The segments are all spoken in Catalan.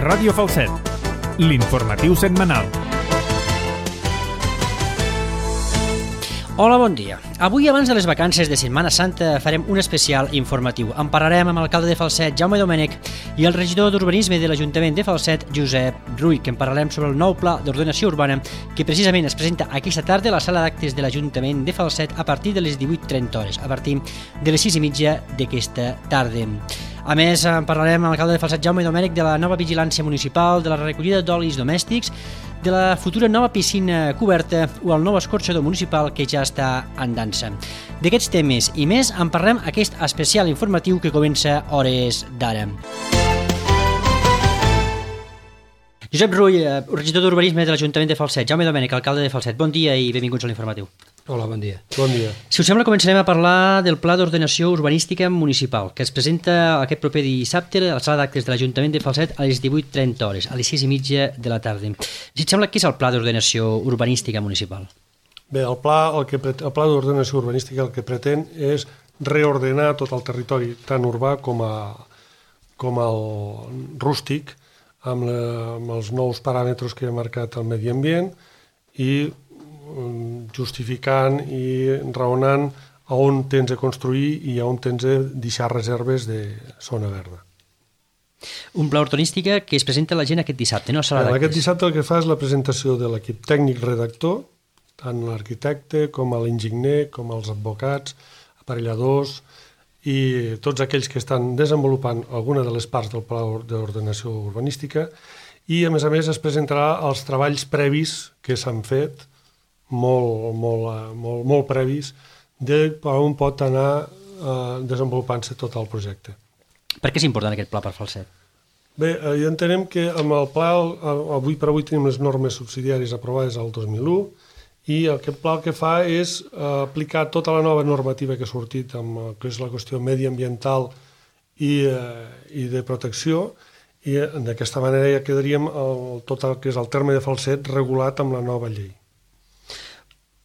Ràdio Falset, l'informatiu setmanal. Hola, bon dia. Avui, abans de les vacances de Setmana Santa, farem un especial informatiu. En parlarem amb l'alcalde de Falset, Jaume Domènech, i el regidor d'Urbanisme de l'Ajuntament de Falset, Josep Rull, que en parlarem sobre el nou pla d'ordenació urbana que precisament es presenta aquesta tarda a la sala d'actes de l'Ajuntament de Falset a partir de les 18:30, a partir de les 6:30 d'aquesta tarda. A més, en parlarem amb l'alcalde de Falset, Jaume Domènech, de la nova vigilància municipal, de la recollida d'olis domèstics, de la futura nova piscina coberta o el nou escorxador municipal que ja està en dansa. D'aquests temes i més en parlem aquest especial informatiu que comença hores d'ara. Josep Rull, regidor d'Urbanisme de l'Ajuntament de Falset, Jaume Domènech, alcalde de Falset, bon dia i benvinguts a l'informatiu. Hola, bon dia. Bon dia. Si us sembla, començarem a parlar del Pla d'Ordenació Urbanística Municipal, que es presenta aquest proper dissabte a la sala d'actes de l'Ajuntament de Falset a les 18:30, a les 6:30 de la tarda. Si et sembla, què és el Pla d'Ordenació Urbanística Municipal? Bé, el pla d'ordenació urbanística el que pretén és reordenar tot el territori, tant urbà com el rústic, amb els nous paràmetres que ha marcat el medi ambient i justificant i raonant a on tens de construir i a on tens de deixar reserves de zona verda. Un pla urbanística que es presenta a la gent aquest dissabte, no? A la sala d'actes. Aquest dissabte el que fa és la presentació de l'equip tècnic redactor, tant l'arquitecte com l'enginyer, com els advocats, aparelladors i tots aquells que estan desenvolupant alguna de les parts del pla d'ordenació urbanística, i a més es presentarà els treballs previs que s'han fet, molt previs, de per on pot anar desenvolupant-se tot el projecte. Per què és important aquest pla per Falset? Bé, ja entenem que amb el pla, avui per avui tenim les normes subsidiàries aprovades al 2001, i aquest pla el que fa és aplicar tota la nova normativa que ha sortit amb el que és la qüestió mediambiental i de protecció, i d'aquesta manera ja quedaríem tot el que és el terme de Falset regulat amb la nova llei.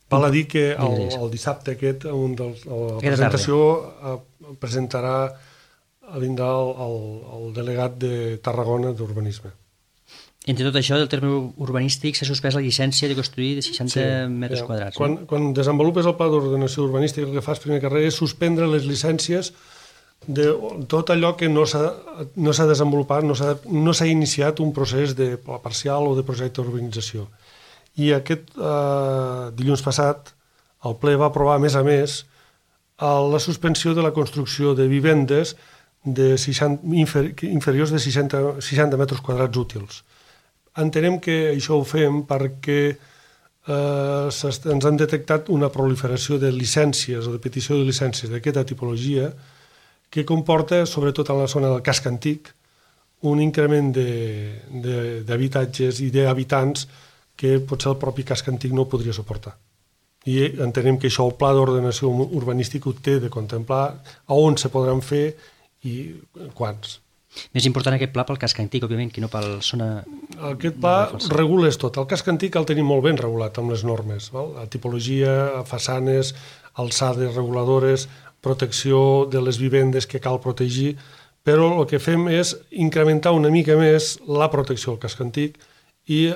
Val a dir que el dissabte aquest, la presentació vindrà el delegat de Tarragona d'Urbanisme. Entre tot això, del terme urbanístic s'ha suspès la llicència de construir de 60 metres quadrats. Quan desenvolupes el pla d'ordenació urbanística, el que fas primer que res és suspendre les llicències de tot allò que no s'ha desenvolupat, no s'ha iniciat un procés de pla parcial o de projecte d'urbanització. I aquest dilluns passat el ple va aprovar, a més, la suspensió de la construcció de vivendes inferiors de 60 metres quadrats útils. Entenem que això ho fem perquè ens han detectat una proliferació de llicències o de petició de llicències d'aquesta tipologia que comporta, sobretot en la zona del casc antic, un increment d'habitatges i d'habitants que potser el propi casc antic no ho podria suportar. I entenem que això el pla d'ordenació urbanística ho té de contemplar a on se podran fer i quants. Més important aquest pla pel casc antic, òbviament, que no per zona... Aquest pla regula tot. El casc antic el tenim molt ben regulat amb les normes. La tipologia, façanes, alçades reguladores, protecció de les vivendes que cal protegir, però el que fem és incrementar una mica més la protecció del casc antic i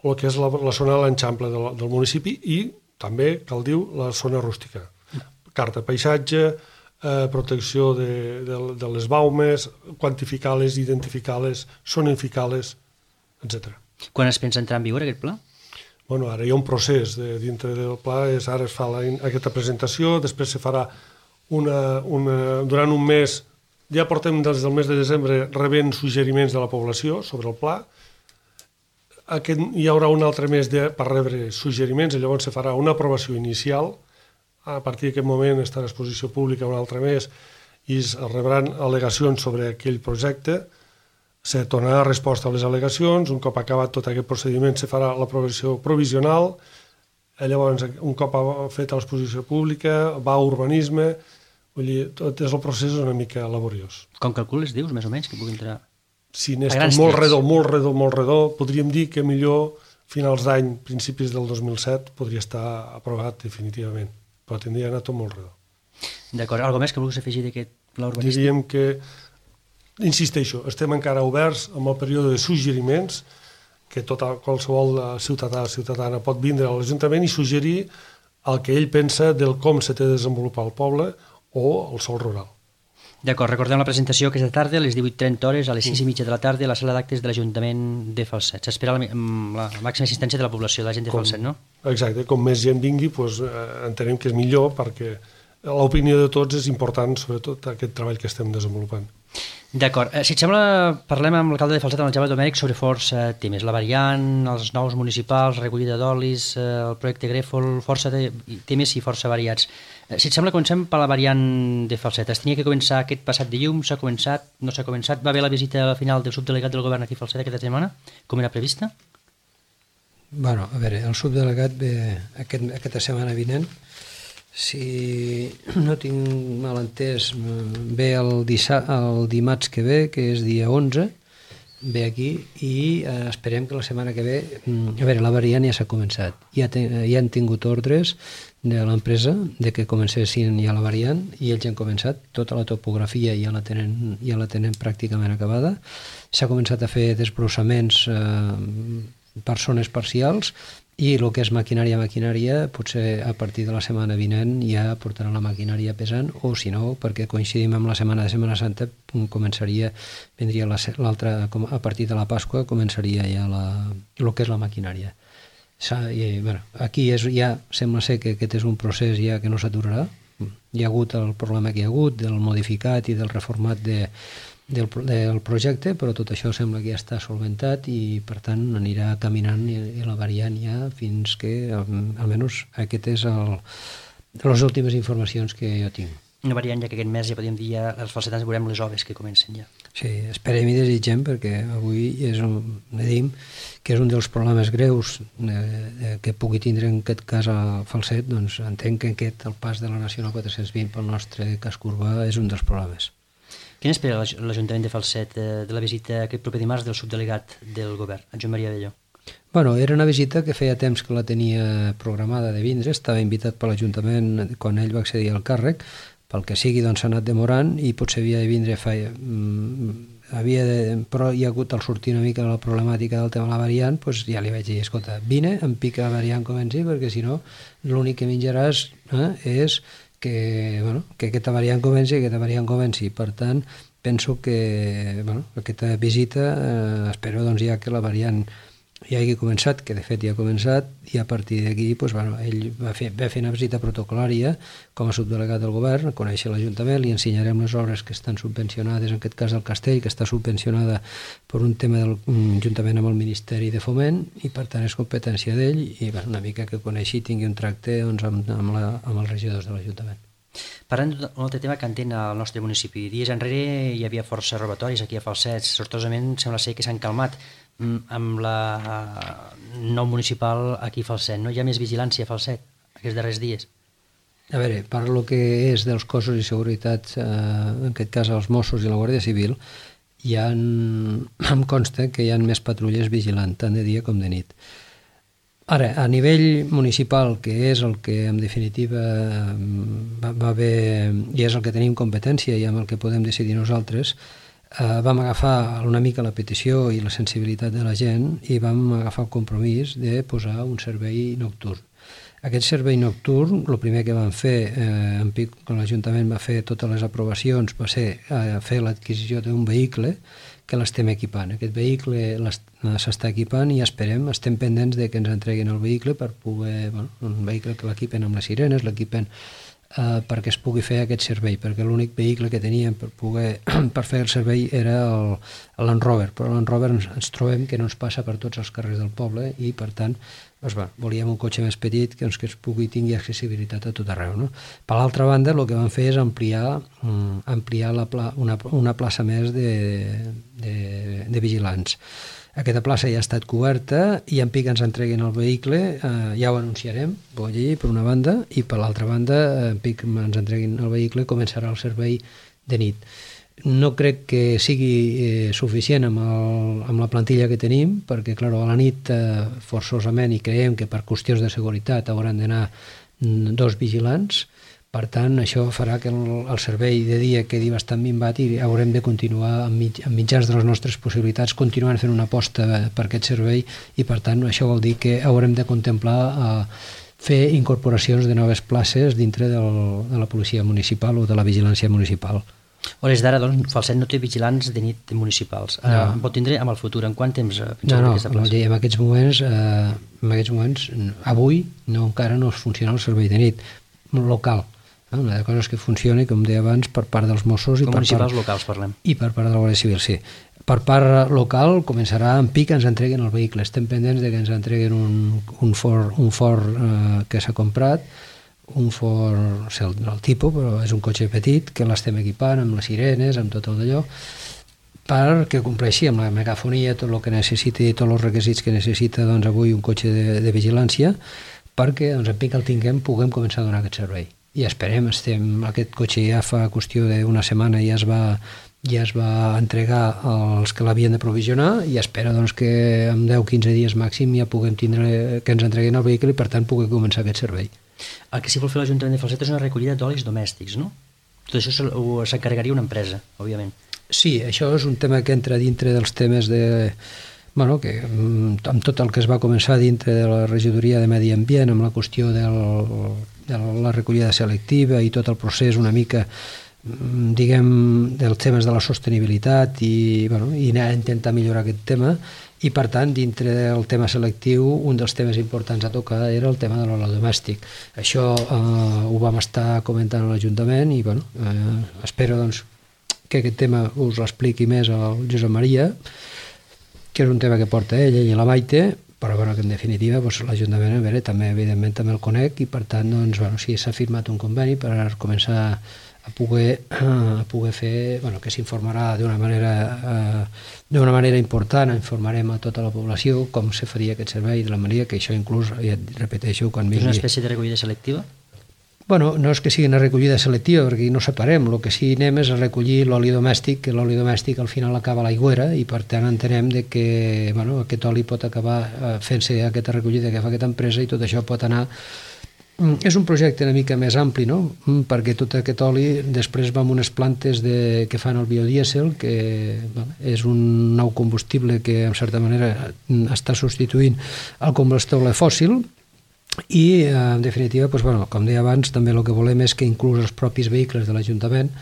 el que és la zona de l'enxample del municipi i també, cal dir, la zona rústica. Carta paisatge, protecció de les baumes, quantificar-les, identificar-les, zonificar-les, etc. Quan es pensa entrar en vigor aquest pla? Bueno, ara hi ha un procés dintre del pla, ara es fa aquesta presentació, després se farà durant un mes, ja portem des del mes de desembre rebent suggeriments de la població sobre el pla. Hi haurà un altre mes per rebre suggeriments i llavors se farà una aprovació inicial. A partir d'aquest moment estarà a exposició pública un altre mes i es rebran al·legacions sobre aquell projecte. Se tornarà resposta a les al·legacions. Un cop acabat tot aquest procediment se farà l'aprovació provisional. Llavors, un cop feta l'exposició pública, va a urbanisme. Vull dir, tot el procés és una mica laboriós. Com calcules, dius, més o menys, que pugui entrar? Si n'és molt redó, podríem dir que millor finals d'any, principis del 2007, podria estar aprovat definitivament, però tindria anat tot molt redó. D'acord, alguna més que vulguis afegir d'aquest pla urbanístic? Diríem que insisteixo, estem encara oberts amb el període de suggeriments que qualsevol ciutadana pot vindre a l'Ajuntament i suggerir el que ell pensa del com s'ha de desenvolupar el poble o el sòl rural. D'acord, recordem la presentació aquesta tarda a les 18:30 a les 6:30 de la tarda a la sala d'actes de l'Ajuntament de Falset. S'espera la màxima assistència de la població, de la gent de Falset, no? Exacte, com més gent vingui, doncs, entenem que és millor perquè l'opinió de tots és important, sobretot aquest treball que estem desenvolupant. D'acord. Si et sembla, parlem amb l'alcalde de Falset, amb el Jaume Domènech, sobre força temes. La variant, els nous municipals, recollida d'olis, el projecte Grèfol, força temes i força variats. Si et sembla, comencem per la variant de Falset. Es tenia que començar aquest passat dilluns, s'ha començat, no s'ha començat? Va haver la visita final del subdelegat del govern aquí a Falset aquesta setmana, com era prevista? Bueno, a veure, el subdelegat ve aquesta setmana vinent. Si no tinc mal entès, ve el dimarts que ve, que és dia 11, ve aquí i esperem que la setmana que ve... A veure, la variant ja s'ha començat. Ja han tingut ordres de l'empresa de que comencessin ja la variant i ells han començat. Tota la topografia ja la tenen pràcticament acabada. S'ha començat a fer desbrossaments per zones parcials i el que és maquinària, potser a partir de la setmana vinent ja portaran la maquinària pesant, o si no, perquè coincidim amb la setmana de Setmana Santa, vendria l'altra, a partir de la Pasqua, començaria ja el que és la maquinària. I, bueno, aquí ja sembla ser que aquest és un procés ja que no s'aturarà. Hi ha hagut el problema que hi ha hagut del modificat i del reformat del projecte, però tot això sembla que ja està solventat i per tant anirà caminant i la variant ja fins que almenys aquest és les últimes informacions que jo tinc. Una variant ja que aquest mes ja podríem dir els falsetans veurem les obres que comencen ja. Sí, esperem i desitgem perquè avui veiem que és un dels problemes greus que pugui tindre en aquest cas a Falset, doncs entenc que el pas de la Nacional 420 pel nostre casc urbà és un dels problemes. Quin espera l'Ajuntament de Falset de la visita aquest proper dimarts del subdelegat del govern, en Joan Maria Abelló? Bueno, era una visita que feia temps que la tenia programada de vindre, estava invitat per l'Ajuntament quan ell va accedir al càrrec, pel que sigui doncs s'ha anat demorant i potser havia de vindre però hi ha hagut al sortir una mica la problemàtica del tema de la variant, doncs ja li vaig dir, escolta, vine, em pica la variant comenci, perquè si no l'únic que menjaràs és que aquesta variant comenci. Per tant, penso que aquesta visita espero doncs, ja que la variant ja hagi començat, que de fet ja ha començat, i a partir d'aquí ell va fer una visita protocolària com a subdelegat del govern, a conèixer l'Ajuntament, li ensenyarem les obres que estan subvencionades, en aquest cas el castell, que està subvencionada per un tema juntament amb el Ministeri de Foment, i per tant és competència d'ell, i una mica que coneixi i tingui un tracte amb els regidors de l'Ajuntament. Parlant d'un altre tema que entén al nostre municipi, dies enrere hi havia força robatoris aquí a Falset, sortosament sembla ser que s'han calmat amb la nou municipal aquí a Falset, no? Hi ha més vigilància a Falset aquests darrers dies? A veure, per lo que és dels cossos i seguretat, en aquest cas els Mossos i la Guàrdia Civil, em consta que hi ha més patrulles vigilant, tant de dia com de nit. Ara, a nivell municipal, que és el que en definitiva va bé i és el que tenim competència i amb el que podem decidir nosaltres, vam agafar una mica la petició i la sensibilitat de la gent i vam agafar el compromís de posar un servei nocturn. Aquest servei nocturn, el primer que vam fer, quan l'Ajuntament va fer totes les aprovacions, va ser fer l'adquisició d'un vehicle que l'estem equipant. Aquest vehicle s'està equipant i estem pendents de que ens entreguin el vehicle per poder, un vehicle que l'equipen amb les sirenes, l'equipen perquè es pugui fer aquest servei, perquè l'únic vehicle que teníem per fer el servei era el Land Rover, però el Land Rover ens trobem que no ens passa per tots els carrers del poble i per tant volíem un cotxe més petit que es pugui tingui accessibilitat a tot arreu. No? Per l'altra banda, el que vam fer és ampliar una plaça més de vigilants. Aquesta plaça ja ha estat coberta i en pic ens entreguin el vehicle, ja ho anunciarem, per una banda, i per l'altra banda, en pic ens entreguin el vehicle, començarà el servei de nit. No crec que sigui suficient amb la plantilla que tenim, perquè, clar, a la nit, forçosament, i creiem que per qüestions de seguretat hauran d'anar 2 vigilants, Per tant, això farà que el servei de dia quedi bastant minvat i haurem de continuar amb mitjans de les nostres possibilitats continuant fent una aposta per aquest servei i per tant això vol dir que haurem de contemplar fer incorporacions de noves places dintre de la policia municipal o de la vigilància municipal. A hores d'ara, doncs, Falset no té vigilants de nit municipals. En pot tindre amb el futur. En quant temps No, en aquests moments, avui encara no funciona el servei de nit local. Una de coses que funcioni, com deia abans, per part dels Mossos com municipals locals parlem. I per part de la Guàrdia Civil, sí. Per part local començarà en pic que ens entreguen el vehicle. Estem pendents de que ens entreguen un Ford que s'ha comprat, un Ford, no sé el tipus, però és un cotxe petit que l'estem equipant amb les sirenes, amb tot el d'allò, perquè compleixi amb la megafonia tot el que necessiti, tots els requisits que necessita doncs, avui un cotxe de vigilància, perquè doncs, en pic el tinguem, puguem començar a donar aquest servei. I esperem, aquest cotxe ja fa qüestió d'una setmana ja es va entregar als que l'havien de provisionar i espera doncs, que en 10-15 dies màxim ja puguem tindre que ens entreguin el vehicle i per tant pugui començar aquest servei. El que sí vol fer l'Ajuntament de Falset és una recollida d'olis domèstics, no? Tot això s'encarregaria una empresa, òbviament. Sí, això és un tema que entra dintre dels temes de... Bueno, que amb tot el que es va començar dintre de la regidoria de Medi Ambient, amb la qüestió de la recollida selectiva i tot el procés una mica, diguem, dels temes de la sostenibilitat i anar a intentar millorar aquest tema. I, per tant, dintre del tema selectiu, un dels temes importants a tocar era el tema de l'oli domèstic. Això ho vam estar comentant a l'Ajuntament i espero doncs, que aquest tema us l'expliqui més al Josep Maria, que és un tema que porta ella i la Maite, però que en definitiva l'Ajuntament també evidentment també el conec i per tant sí, s'ha firmat un conveni per començar a poder fer, que s'informarà d'una manera important, informarem a tota la població com se faria aquest servei, de la manera que això inclús, ja et repeteixo, quan vingui... És una espècie de recollida selectiva? No és que sigui una recollida selectiva, perquè no separem, el que sí anem és a recollir l'oli domèstic, que l'oli domèstic al final acaba a l'aigüera i per tant entenem que aquest oli pot acabar fent-se aquesta recollida que fa aquesta empresa i tot això pot anar... És un projecte una mica més ampli, no? Perquè tot aquest oli després va amb unes plantes que fan el biodièsel, que és un nou combustible que en certa manera està substituint el combustible fòssil. I, en definitiva, com deia abans, també el que volem és que inclús els propis vehicles de l'Ajuntament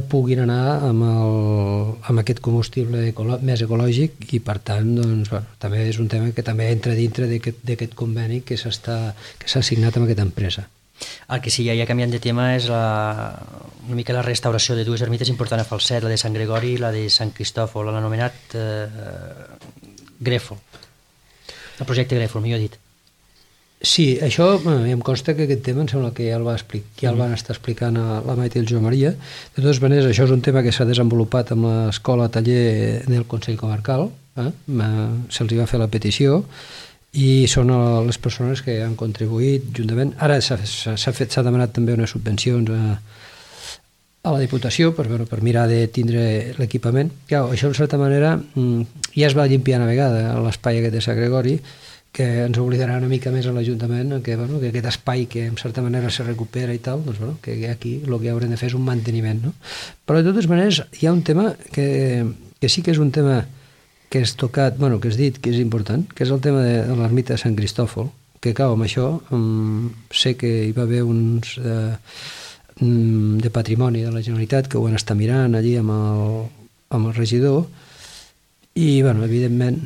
puguin anar amb aquest combustible més ecològic i, per tant, també és un tema que també entra dintre d'aquest conveni que s'ha signat amb aquesta empresa. El que sí, ja canviant de tema, és una mica la restauració de dues ermites importants a Falset, la de Sant Gregori i la de Sant Cristòfol, l'han anomenat Grèfol. El projecte Grèfol, millor dit. Sí, això em consta que aquest tema em sembla que ja el van estar explicant a la Maite i el Joan Maria. De totes maneres, això és un tema que s'ha desenvolupat amb l'escola taller del Consell Comarcal, se'ls va fer la petició i són les persones que han contribuït juntament. Ara s'ha demanat també unes subvencions a la Diputació per mirar de tindre l'equipament. Això, en certa manera, ja es va limpiar una vegada l'espai aquest de Sant Gregori, que ens oblidarà una mica més a l'Ajuntament que aquest espai que en certa manera se recupera i tal, que aquí el que haurem de fer és un manteniment, no? Però de totes maneres hi ha un tema que sí que és un tema que és tocat, que és dit que és important, que és el tema de l'ermita de Sant Cristòfol, que amb això sé que hi va haver uns de patrimoni de la Generalitat que ho van estar mirant allí amb el regidor i, evidentment,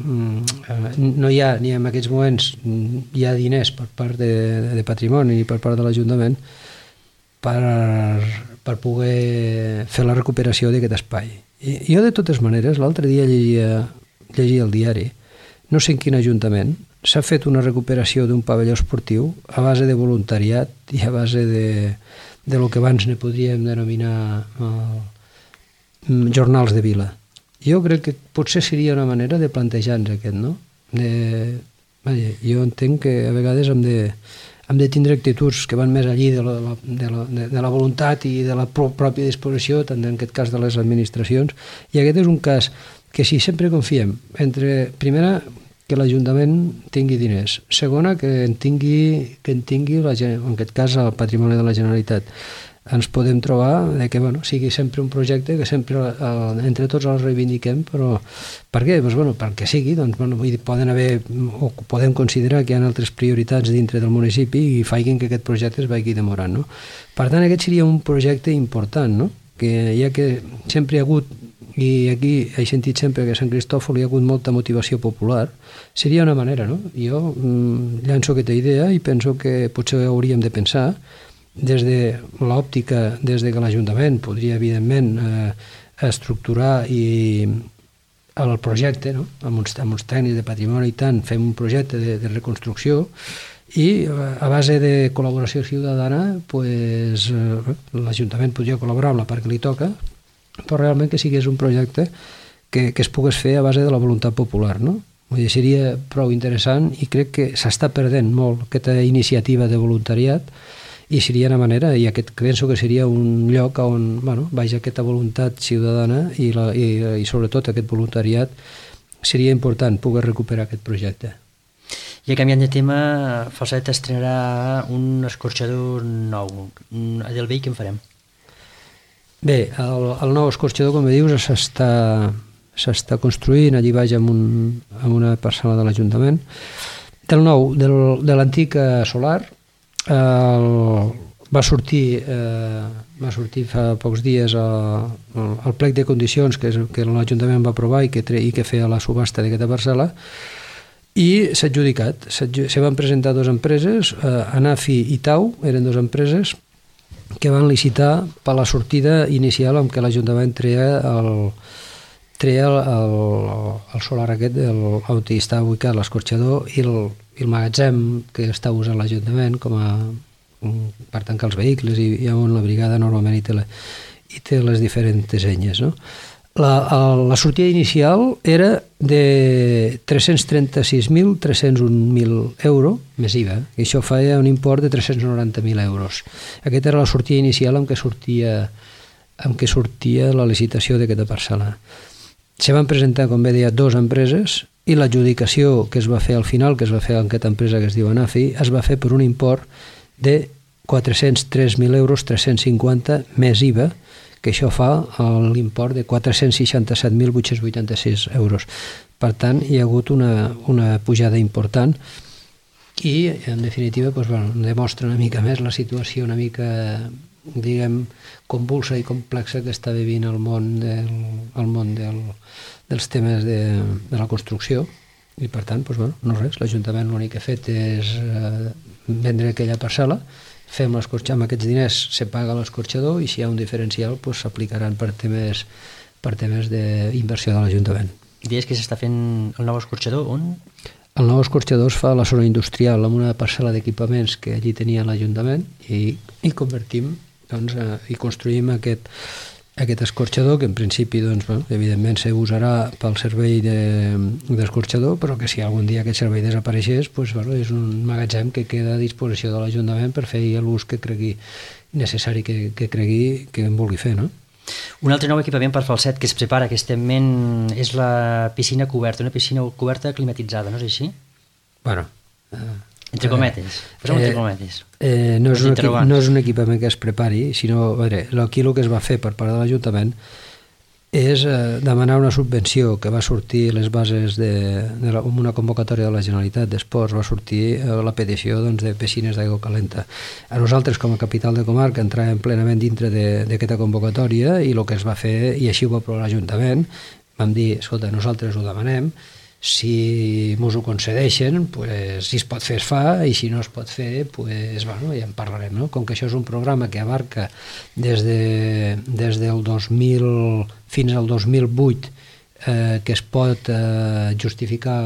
no hi ha, ni en aquests moments hi ha diners per part de patrimoni i per part de l'Ajuntament per poder fer la recuperació d'aquest espai. I jo, de totes maneres, l'altre dia llegia el diari, no sé en quin ajuntament, s'ha fet una recuperació d'un pavelló esportiu a base de voluntariat i a base de lo que abans ne podríem denominar jornals de vila. Jo crec que potser seria una manera de plantejar-nos aquest, no? Jo entenc que a vegades hem de tindre actituds que van més allí de la voluntat i de la pròpia disposició, tant en aquest cas de les administracions, i aquest és un cas que si sempre confiem entre, primera, que l'Ajuntament tingui diners. Segona, que en tingui en aquest cas, el patrimoni de la Generalitat. Ens podem trobar que sigui sempre un projecte que sempre entre tots el reivindiquem, però per què? Perquè sigui, podem considerar que hi ha altres prioritats dintre del municipi i facin que aquest projecte es vagi demorant. No? Per tant, aquest seria un projecte important, no? Que ja que sempre hi ha hagut, i aquí he sentit sempre que a Sant Cristòfol hi ha hagut molta motivació popular, seria una manera, no? Jo llanço aquesta idea i penso que potser hauríem de pensar des de l'òptica, des de que l'Ajuntament podria, evidentment, estructurar el projecte, no? amb uns tècnics de patrimoni i tant, fem un projecte de reconstrucció i a base de col·laboració ciutadana l'Ajuntament podria col·laborar amb la part que li toca, però realment que sigués un projecte que es pogués fer a base de la voluntat popular, no? Vull dir, seria prou interessant i crec que s'està perdent molt aquesta iniciativa de voluntariat i seria una manera, i penso que seria un lloc on vagi aquesta voluntat ciutadana i sobretot aquest voluntariat seria important poder recuperar aquest projecte. I canviant de tema, Falset estrenarà un escorxador nou. A Delvell què en farem? Bé, el nou escorxador, com dius, s'està construint allí baix amb una parcel·la de l'Ajuntament. De l'antic solar va sortir fa pocs dies el plec de condicions que l'Ajuntament va aprovar i que feia la subhasta d'aquesta parcel·la i s'ha adjudicat. Se van presentar dues empreses, Anafi i Tau, eren dues empreses que van licitar per la sortida inicial amb què l'Ajuntament treia el solar aquest on està ubicat l'escorxador i el magatzem que està usant l'Ajuntament per tancar els vehicles i on la brigada normalment hi té les diferents enyes, no? La sortida inicial era de 336.301.000 euros més IVA, i això feia un import de 390.000 euros. Aquesta era la sortida inicial amb què sortia la licitació d'aquesta parcel·la. Se van presentar, com bé deia, dues empreses i l'adjudicació que es va fer al final, que es va fer amb aquesta empresa que es diu Anafi, es va fer per un import de 403.000 euros 350 més IVA, que això fa l'import de 467.886 euros. Per tant, hi ha hagut una pujada important i, en definitiva, demostra una mica més la situació una mica, diguem, convulsa i complexa que està vivint el món dels temes de la construcció. I, per tant, no res, l'Ajuntament l'únic que ha fet és vendre aquella parcel·la, fem l'escorxador, amb aquests diners se paga l'escorxador i si hi ha un diferencial s'aplicaran per temes d'inversió de l'Ajuntament. I deies que s'està fent el nou escorxador on? El nou escorxador es fa a la zona industrial amb una parcel·la d'equipaments que allí tenia l'Ajuntament i convertim i construïm aquest escorxador que en principi evidentment s'usarà pel servei d'escorxador, però que si algun dia aquest servei desapareixés és un magatzem que queda a disposició de l'Ajuntament per fer l'ús que cregui necessari, que cregui que en vulgui fer, no? Un altre nou equipament per Falset que es prepara aquestament és la piscina coberta, una piscina coberta climatitzada, no és així? Bueno... Entre cometes, entre cometes. No és un equipament que es prepari, sinó, aquí el que es va fer per part de l'Ajuntament és demanar una subvenció que va sortir les bases amb una convocatòria de la Generalitat d'Esports, va sortir la petició de piscines d'aigua calenta. A nosaltres, com a capital de comarca, entràvem plenament dintre d'aquesta convocatòria i el que es va fer, i així ho va aprovar l'Ajuntament, vam dir, escolta, nosaltres ho demanem, si ens ho concedeixen, si es pot fer es fa, i si no es pot fer, ja en parlarem, no? Com que això és un programa que abarca des del 2000 fins al 2008 que es pot justificar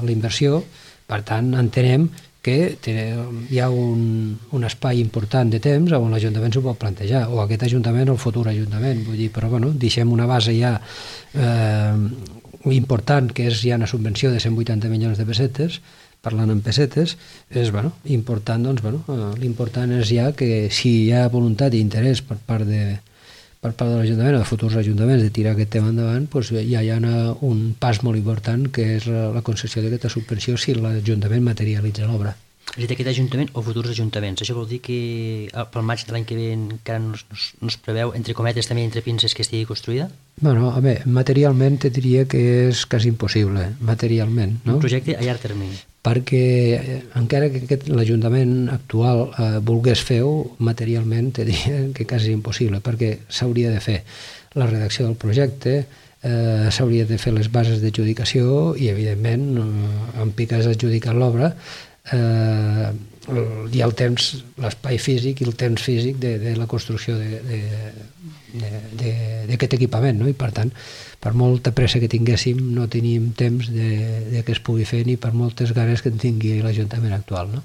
la inversió, per tant entenem que hi ha un espai important de temps on l'Ajuntament s'ho pot plantejar, o aquest Ajuntament o el futur Ajuntament, vull dir, però deixem una base ja important, que és ja una subvenció de 180 milions de pessetes, parlant en pessetes, és important, l'important és ja que si hi ha voluntat i interès per part per part de l'Ajuntament, de futurs ajuntaments, de tirar aquest tema endavant, doncs ja hi ha un pas molt important, que és la concessió d'aquesta subvenció si l'Ajuntament materialitza l'obra. És a dir, aquest ajuntament o futurs ajuntaments. Això vol dir que pel maig de l'any que ve encara no es preveu, entre cometes, també entre pinces, que estigui construïda? Bueno, a veure, materialment te diria que és quasi impossible, materialment, no? Un projecte a llarg termini. Perquè encara que l'Ajuntament actual volgués fer-ho, materialment te diria que quasi impossible, perquè s'hauria de fer la redacció del projecte, s'hauria de fer les bases d'adjudicació i, evidentment, en piques adjudicar l'obra, hi ha el temps, l'espai físic i el temps físic de la construcció d'aquest equipament, no? I per tant, per molta pressa que tinguéssim, no teníem temps de que es pugui fer ni per moltes ganes que en tingui l'Ajuntament actual, no?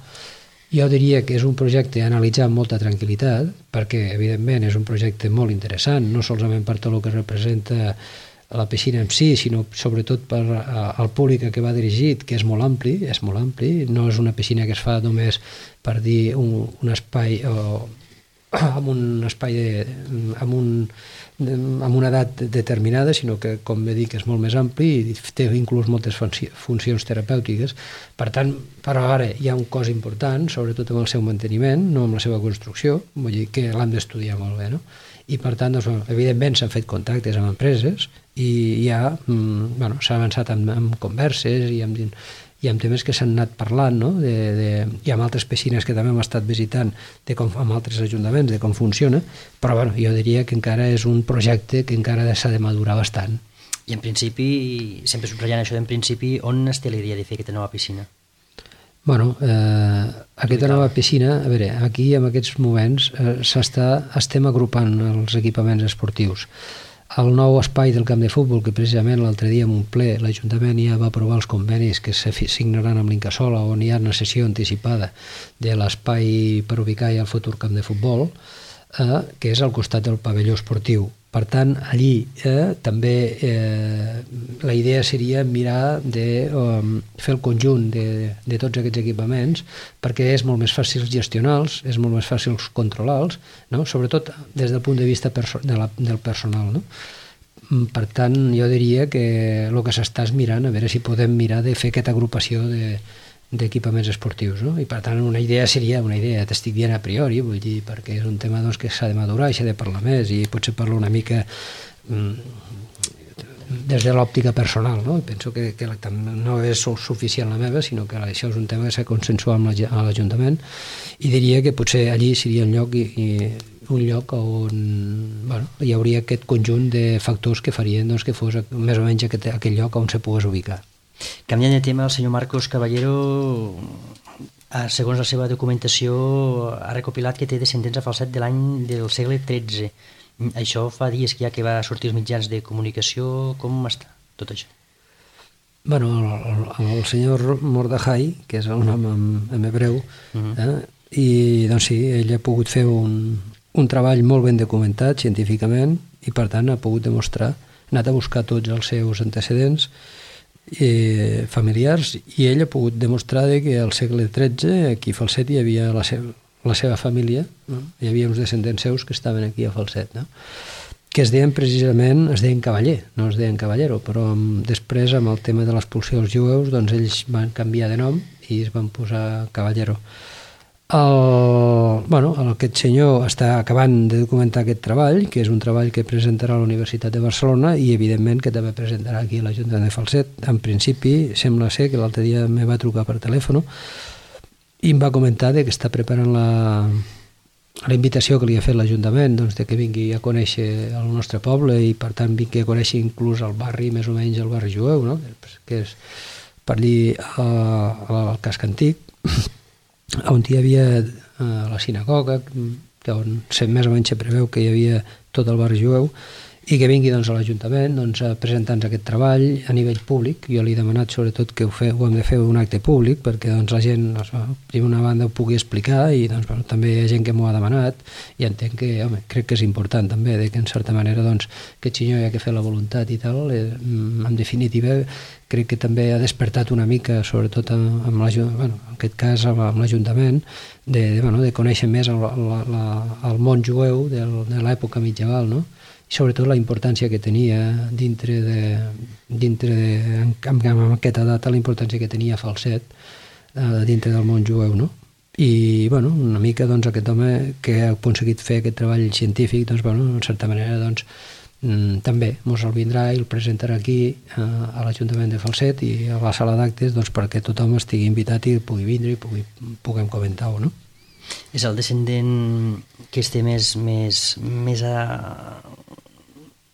Jo diria que és un projecte a analitzar amb molta tranquil·litat, perquè evidentment és un projecte molt interessant, no solament per tot el que representa la piscina en si, sinó sobretot per al públic a què va dirigit, que és molt ampli, no és una piscina que es fa només per dir un espai amb un espai amb una edat determinada, sinó que, com he dit, és molt més ampli i té inclús moltes funcions terapèutiques. Per tant, però ara hi ha un cos important, sobretot amb el seu manteniment, no amb la seva construcció, vull dir que l'hem d'estudiar molt bé, no? I per tant, doncs, evidentment s'han fet contactes amb empreses i ja s'ha avançat amb converses i amb temes que s'han anat parlant, no? I amb altres piscines que també hem estat visitant amb altres ajuntaments de com funciona, però jo diria que encara és un projecte que encara s'ha de madurar bastant. I en principi, sempre subratllant això d'en principi, on es té la idea de fer aquesta nova piscina? Bueno, aquesta nova piscina, a veure, aquí en aquests moments estem agrupant els equipaments esportius. El nou espai del camp de futbol, que precisament l'altre dia en un ple l'Ajuntament ja va aprovar els convenis que se signaran amb l'Incasòl, on hi ha una sessió anticipada de l'espai per ubicar ja el futur camp de futbol, que és al costat del pavelló esportiu. Per tant, allí també la idea seria mirar de fer el conjunt de tots aquests equipaments, perquè és molt més fàcil gestionar-los, és molt més fàcil controlar-los, no? Sobretot des del punt de vista del personal, no? Per tant, jo diria que el que s'està és mirant, a veure si podem mirar de fer aquesta agrupació d'equipaments esportius, no? I per tant una idea seria una idea, t'estic dient a priori, vull dir, perquè és un tema doncs, que s'ha de madurar i s'ha de parlar més i potser parlar una mica des de l'òptica personal, no? Penso que no és suficient la meva, sinó que això és un tema que s'ha consensuat amb l'Ajuntament i diria que potser allí seria un lloc on hi hauria aquest conjunt de factors que farien doncs, que fos més o menys aquell lloc on se pogués ubicar. Canviant de tema, el senyor Marcos Caballero, segons la seva documentació, ha recopilat que té descendents a falset del segle XIII. Això fa dies que ja que va sortir els mitjans de comunicació. Com està tot això? Bueno, el senyor Mordejai, que és el nom en hebreu, i doncs sí, ell ha pogut fer un treball molt ben documentat científicament i per tant ha pogut demostrar, ha anat a buscar tots els seus antecedents familiars i ell ha pogut demostrar que al segle XIII aquí a Falset hi havia la seva família, no? Hi havia uns descendents seus que estaven aquí a Falset, no? Que es deien Cavaller, no es deien Caballero, però després amb el tema de l'expulsió dels jueus doncs ells van canviar de nom i es van posar Caballero. Aquest senyor està acabant de documentar aquest treball, que és un treball que presentarà a la Universitat de Barcelona i evidentment que també presentarà aquí a l'Ajuntament de Falset. En principi sembla ser que l'altre dia me va trucar per telèfon i em va comentar que està preparant la invitació que li ha fet l'Ajuntament, doncs, de que vingui a conèixer el nostre poble i per tant vingui a conèixer inclús el barri, més o menys el barri jueu, no? Que és per allí al casc antic, on hi havia la sinagoga, on més o menys se preveu que hi havia tot el barri jueu, i que vingui doncs, a l'Ajuntament a presentar-nos aquest treball a nivell públic. Jo li he demanat sobretot que ho hem de fer un acte públic perquè la gent, primer una banda, ho pugui explicar i també hi ha gent que m'ho ha demanat i entenc que, crec que és important també que en certa manera aquest senyor ha que fer la voluntat i tal. En definitiva, crec que també ha despertat una mica, sobretot en aquest cas amb l'Ajuntament, de conèixer més el món jueu de l'època medieval, no? I sobretot la importància que tenia amb aquesta data, la importància que tenia Falset dintre del món jueu, no? I una mica aquest home que ha aconseguit fer aquest treball científic, en certa manera també ens el vindrà i el presentarà aquí a l'Ajuntament de Falset i a la sala d'actes perquè tothom estigui invitat i pugui vindre i puguem comentar-ho, no? És el descendent que esté més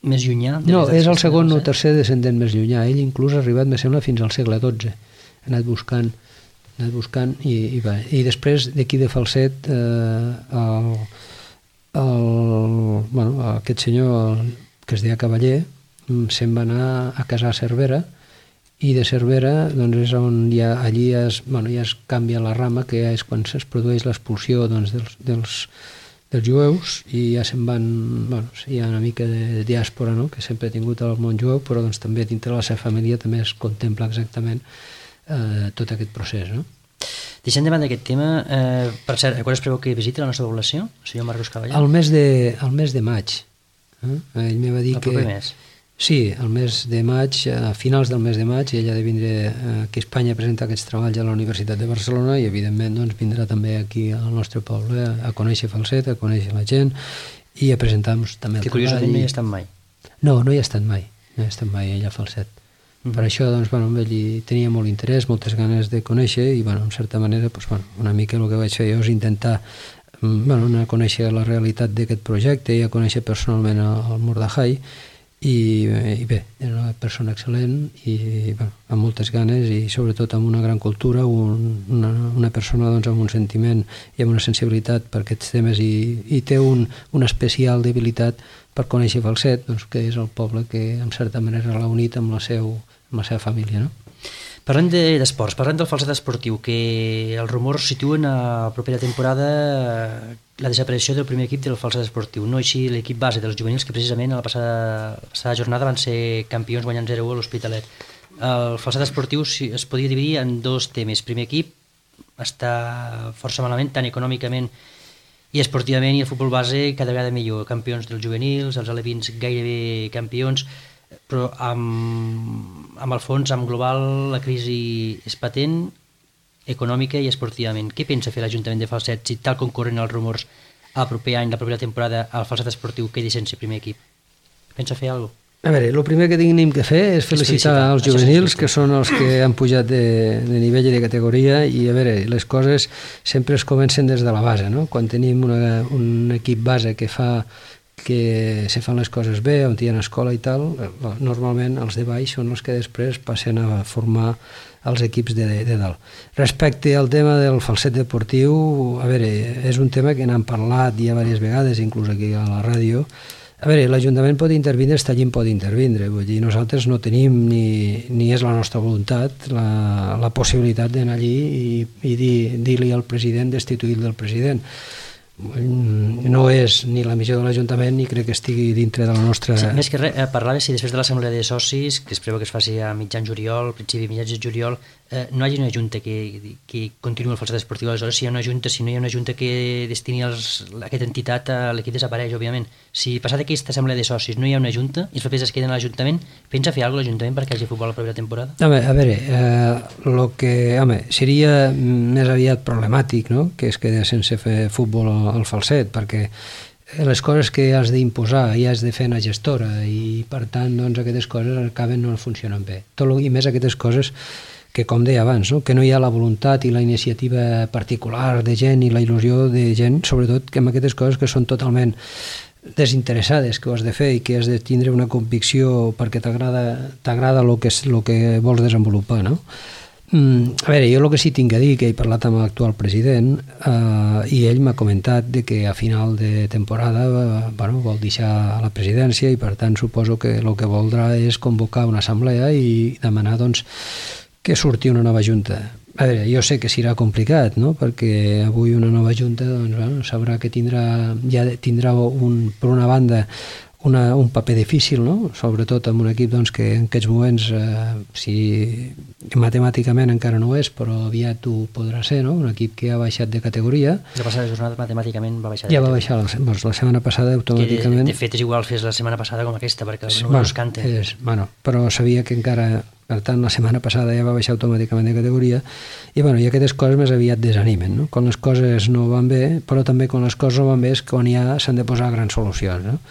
llunyà? No, és el segon o tercer descendent més llunyà. Ell inclús ha arribat, me sembla, fins al segle XII. Ha anat buscant i després d'aquí de Falset aquest senyor que es deia Cavaller se'n va anar a casar a Cervera i de Cervera és on allí ja es canvia la rama, que ja és quan es produeix l'expulsió dels jueus i ja se'n van, hi ha una mica de diàspora, no?, que sempre ha tingut el món jueu, però també dintre la seva família també es contempla exactament tot aquest procés, no? Deixant de banda aquest tema, per cert, quan es preveu que visiti la nostra població, el senyor Marcos Cavaller? El mes de maig. Ell me va dir el proper mes? Sí, el mes de maig, a finals del mes de maig, ell ha de vindre aquí a Espanya a presentar aquests treballs a la Universitat de Barcelona i, evidentment, vindrà també aquí al nostre poble a conèixer Falset, a conèixer la gent i a presentar-nos també el treball. Que curiosament no hi ha estat mai. No hi ha estat mai. No hi ha estat mai ella a Falset. Per això, amb ell hi tenia molt interès, moltes ganes de conèixer i, en certa manera, una mica el que vaig fer jo és intentar anar a conèixer la realitat d'aquest projecte i a conèixer personalment el Mordahai i bé, era una persona excel·lent i amb moltes ganes i sobretot amb una gran cultura, una persona amb un sentiment i amb una sensibilitat per aquests temes i té una especial debilitat per conèixer Falset, que és el poble que en certa manera l'ha unit amb la seva família, no? Parlem d'esports, parlem del Falset esportiu, que els rumors situen a la propera temporada la desaparició del primer equip del Falset esportiu, no així l'equip base dels juvenils que precisament a la passada jornada van ser campions guanyant 0-1 a l'Hospitalet. El Falset esportiu es podia dividir en dos temes. Primer equip està força malament, tant econòmicament i esportivament, i el futbol base cada vegada millor, campions dels juvenils, els alevins gairebé campions, però amb el fons, amb global, la crisi és patent, econòmica i esportivament. Què pensa fer l'Ajuntament de Falset si, tal com corren els rumors, el proper any, la propera temporada, el Falset esportiu quedi sense primer equip? Pensa fer alguna cosa? A veure, el primer que tenim que fer és felicitar els juvenils, que són els que han pujat de nivell i de categoria, i a veure, les coses sempre es comencen des de la base, no? Quan tenim un equip base que se fan les coses bé, on hi ha escola i tal, normalment els de baix són els que després passen a formar els equips de dalt. Respecte al tema del Falset deportiu, a veure, és un tema que n'han parlat ja diverses vegades, inclús aquí a la ràdio. A veure, l'Ajuntament pot intervindre, Estallín pot intervindre, vull dir, nosaltres no tenim ni és la nostra voluntat la possibilitat d'anar allí i dir-li al president destituir del president. No és ni la missió de l'Ajuntament ni crec que estigui dintre de la nostra... Sí, més que res, parlava si després de l'assemblea de socis, que es preveu que es faci a mitjan juliol, principi de mitjans de juliol, no hi hagi una junta que continuï el Falset esportiu. Aleshores, si no hi ha una junta que destini aquesta entitat, l'equip desapareix, òbviament. Si passat aquesta assemblea de socis no hi ha una junta i els papers es queden a l'Ajuntament, pensa fer alguna cosa l'Ajuntament perquè hi hagi futbol a la propera temporada? A veure, seria més aviat problemàtic, no?, que es quedés sense fer futbol al Falset, perquè les coses que has d'imposar i has de fer una gestora i per tant aquestes coses acaben no funcionant bé. I més aquestes coses que, com deia abans, no?, que no hi ha la voluntat i la iniciativa particular de gent i la il·lusió de gent, sobretot que amb aquestes coses que són totalment desinteressades, que ho has de fer i que has de tindre una convicció perquè t'agrada el que vols desenvolupar, no? A veure, jo el que sí tinc a dir, que he parlat amb l'actual president, i ell m'ha comentat de que a final de temporada vol deixar la presidència i per tant suposo que el que voldrà és convocar una assemblea i demanar doncs, que surti una nova junta. A veure, jo sé que serà complicat, no? Perquè avui una nova junta sabrà que tindrà per una banda un paper difícil, no? Sobretot amb un equip doncs, que en aquests moments, si matemàticament encara no és, però aviat ho podrà ser, no? Un equip que ha baixat de categoria. La passada jornada matemàticament va baixar. Ja va baixar, la setmana passada automàticament. De fet és igual fes la setmana passada com aquesta, perquè els números canten. Però sabia que encara, per tant, la setmana passada ja va baixar automàticament de categoria i aquestes coses més aviat desanimen, no? Quan les coses no van bé, però també quan les coses no van bé és quan ja s'han de posar grans solucions, no?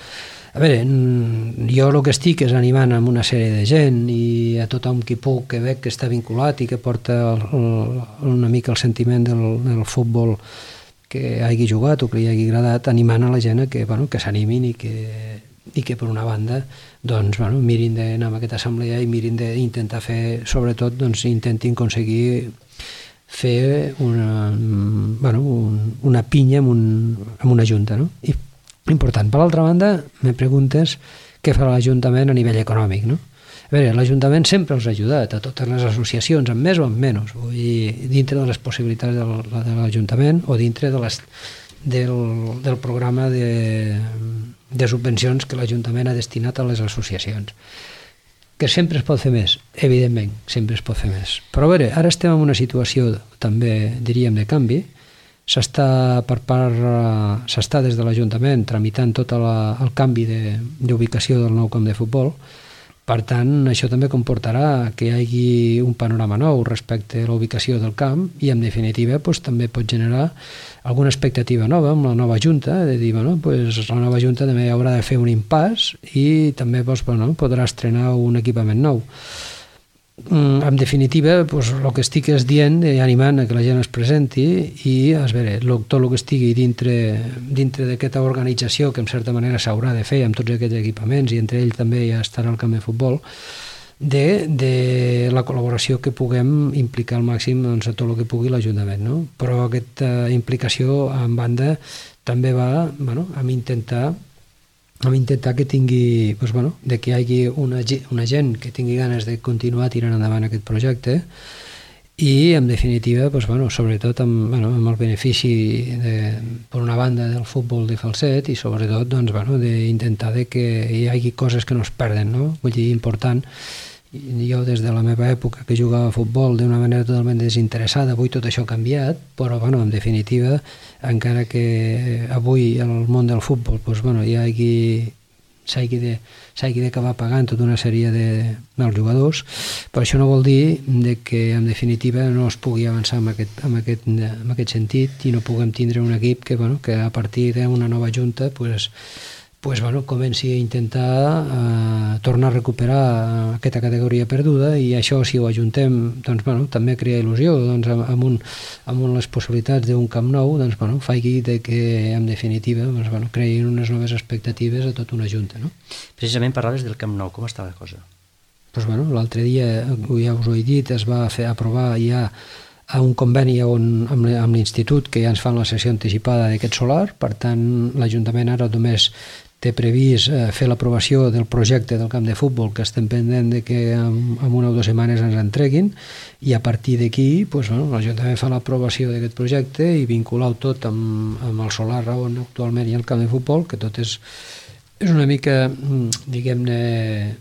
A veure, jo el que estic és animant amb una sèrie de gent i a tothom qui puc, que veig que està vinculat i que porta una mica el sentiment del futbol que hagi jugat o que li hagi agradat, animant a la gent que s'animin i que per una banda doncs, mirin d'anar a aquesta assemblea i mirin d'intentar fer, sobretot, doncs, intentin aconseguir fer una pinya amb una junta, no? I important. Per l'altra banda, me preguntes què farà l'Ajuntament a nivell econòmic, no? A veure, l'Ajuntament sempre els ha ajudat a totes les associacions, amb més o amb menys, vull dir, dintre de les possibilitats de l'Ajuntament o dintre del programa de subvencions que l'Ajuntament ha destinat a les associacions. Que sempre es pot fer més, evidentment, sempre es pot fer més. Però a veure, ara estem en una situació també, diríem, de canvi. S'està des de l'Ajuntament tramitant tot el canvi d'ubicació del nou camp de futbol. Per tant, això també comportarà que hi hagi un panorama nou respecte a la ubicació del camp i, en definitiva, també pot generar alguna expectativa nova amb la nova Junta, de dir, la nova Junta també haurà de fer un impàs i també podrà estrenar un equipament nou. En definitiva, el que estic és dient i animant que la gent es presenti i tot el que estigui dintre d'aquesta organització que en certa manera s'haurà de fer amb tots aquests equipaments i entre ells també ja estarà el camp de futbol, de la col·laboració que puguem implicar al màxim a tot el que pugui l'Ajuntament, no? Però aquesta implicació en banda també va amb intentar que tingui, de que hi hagi una gent que tingui ganes de continuar tirant endavant aquest projecte i, en definitiva, sobretot amb el benefici, per una banda, del futbol de Falset i, sobretot, d'intentar que hi hagi coses que no es perden, no? Vull dir, important. Jo, des de la meva època que jugava a futbol d'una manera totalment desinteressada, avui tot això ha canviat, però, en definitiva, encara que avui el món del futbol s'hagi d'acabar pagant tota una sèrie dels jugadors, però això no vol dir que, en definitiva, no es pugui avançar en aquest sentit i no puguem tindre un equip que a partir d'una nova junta comenci a intentar tornar a recuperar aquesta categoria perduda i això, si ho ajuntem, també crea il·lusió amb les possibilitats d'un camp nou, faci que, en definitiva, creïn unes noves expectatives a tota una junta, no? Precisament parlaves del Camp Nou, com està la cosa? L'altre dia, ja us ho he dit, es va aprovar ja un conveni amb l'Institut que ja ens fan la sessió anticipada d'aquest solar, per tant l'Ajuntament ara només té previst fer l'aprovació del projecte del camp de futbol que estem pendent de que en una o dues setmanes ens entreguin i a partir d'aquí l'Ajuntament fa l'aprovació d'aquest projecte i vincular-ho tot amb el solar on actualment hi ha el camp de futbol, que tot és una mica, diguem-ne,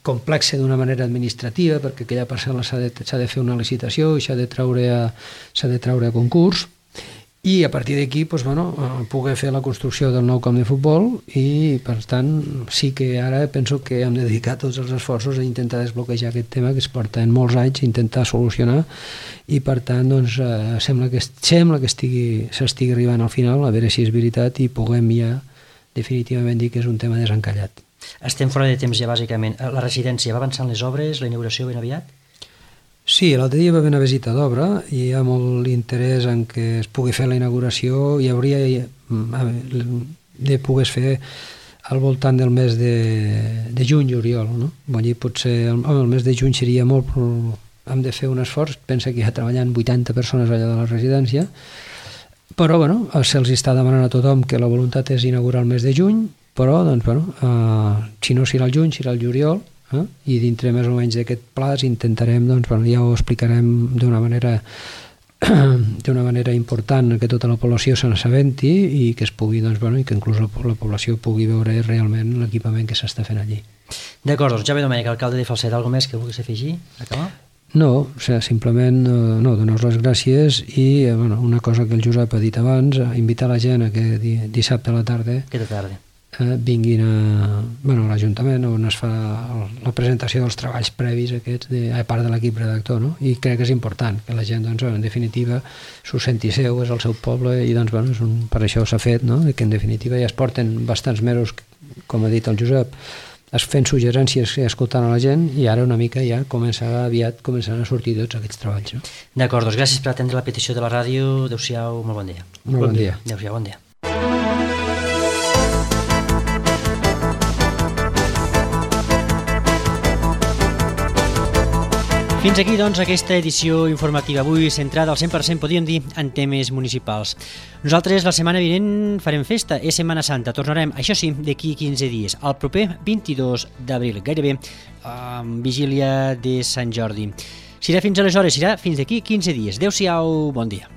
complexa d'una manera administrativa perquè aquella parcel·la s'ha de fer una licitació i s'ha de treure a concurs i a partir d'aquí poder fer la construcció del nou camp de futbol i per tant sí que ara penso que hem de dedicar tots els esforços a intentar desbloquejar aquest tema que es porta en molts anys a intentar solucionar i per tant sembla que s'estigui arribant al final a veure si és veritat i puguem ja definitivament dir que és un tema desencallat. Estem fora de temps ja bàsicament. La residència va avançant les obres, la inauguració ben aviat? Sí, l'altre dia va haver una visita d'obra i hi ha molt interès en que es pugui fer la inauguració i hauria de poder fer al voltant del mes de juny, juliol, no? Vull dir, potser el mes de juny seria molt hem de fer un esforç. Pensa que hi ha treballant 80 persones allà de la residència, però bueno, se'ls està demanant a tothom que la voluntat és inaugurar el mes de juny, però doncs, bueno, si no serà el juny, serà el juliol, i dintre més o menys d'aquest plaç intentarem, doncs, bueno, ja ho explicarem d'una manera important, que tota la població se n'assabenti i que es pugui, doncs, bueno, i que inclús la població pugui veure realment l'equipament que s'està fent allí. D'acord, doncs Jaume Domènech, alcalde de Falset, alguna més que vulguis afegir? Acabar? No, o sigui, simplement donar les gràcies i bueno, una cosa que el Josep ha dit abans, invitar la gent a que dissabte a la tarda vinguin a l'Ajuntament on es fa la presentació dels treballs previs aquests a part de l'equip redactor, no? I crec que és important que la gent, doncs, en definitiva s'ho senti seu, és el seu poble i doncs, bueno, per això s'ha fet, no? I que en definitiva ja es porten bastants mesos, com ha dit el Josep, fent suggerències i escoltant a la gent, i ara una mica ja aviat començaran a sortir tots aquests treballs, no? D'acord, doncs gràcies per atendre la petició de la ràdio. Adéu-siau, molt bon dia. Molt bon dia. Adéu-siau, bon dia. Fins aquí, doncs, aquesta edició informativa avui centrada al 100%, podríem dir, en temes municipals. Nosaltres la setmana vinent farem festa, és Setmana Santa. Tornarem, això sí, d'aquí 15 dies, el proper 22 d'abril, gairebé vigília de Sant Jordi. Serà fins aleshores, serà fins d'aquí 15 dies. Adéu-siau, bon dia.